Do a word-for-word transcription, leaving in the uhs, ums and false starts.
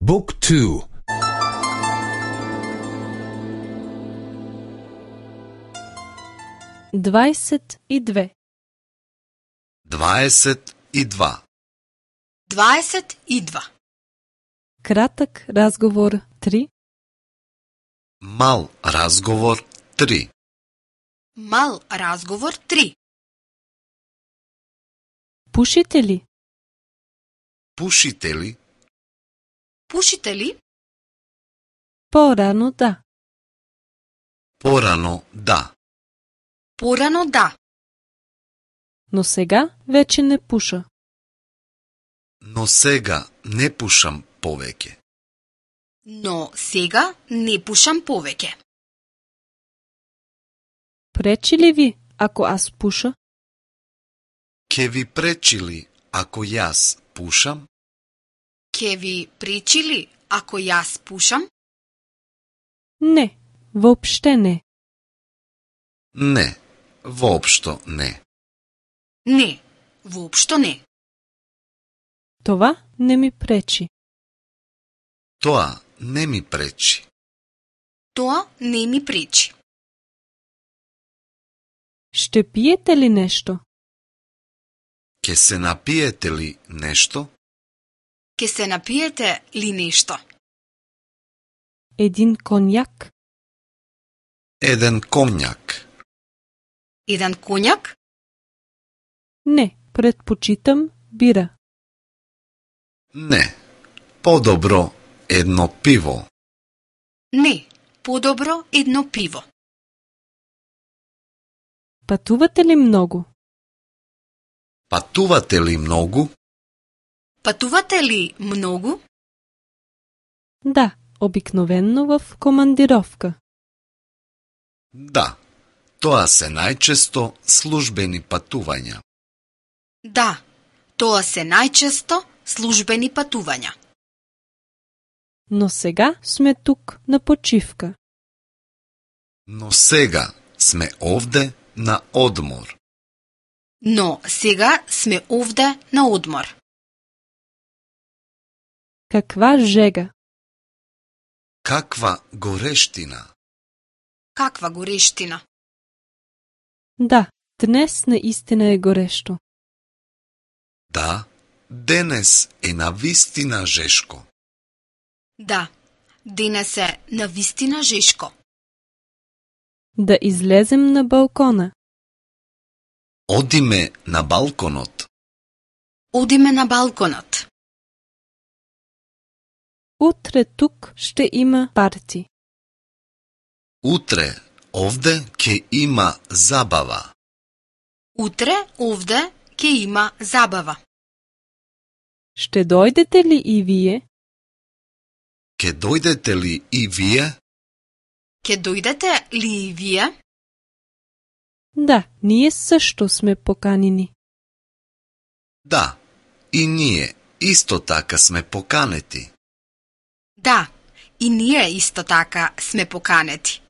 Book two. дваесет и две. дваесет и два. дваесет и два. Кратък разговор три. Мал разговор три. Мал разговор три. Пушите ли? Пушите ли? Пушите ли? По-рано да. Порано да. Порано да. Но сега вече не пуша. Но сега не пушам повеќе. Но сега не пушам повеќе. Пречи ли ви, ако аз пуша? Ке ви пречи ли ако јас пушам? Ке ви пречи ли ако јас пушам? Не, въобще не. Не, воопшто не. Не, воопшто не. Това не ми пречи. Тоа не ми пречи. Тоа не ми пречи. Ще пиете ли нещо? Ке се напиете ли нешто? Ке се напиете ли нешто? Един конјак? Еден комњак. Еден коњак? Не, предпочитам бира. Не, подобро едно пиво. Не, подобро едно пиво. Пътувате ли много? Патувате ли многу? Пътувате ли многу? Да, обикновенно в командировка. Да, тоа се најчесто службени патувања. Да, тоа се најчесто службени патувања. Но сега сме тук на почивка. Но сега сме овде на одмор. Но сега сме овде на одмор. Каква жега! Каква горештина! Каква горештина! Да, днес наистина е горещо. Да, денес е навистина жешко. Да, денес е навистина жешко. Да излезем на балкона. Одиме на балконот. Одиме на балконот. Утре тук ще има парти. Утре овде ќе има забава. Утре овде ќе има забава. Ще дойдете ли и вие? Ке дојдете ли и вие? Ке дојдете ли и вие? Да, ние също сме поканени. Да, и ние исто така сме поканети. Да, и ние исто така сме поканети.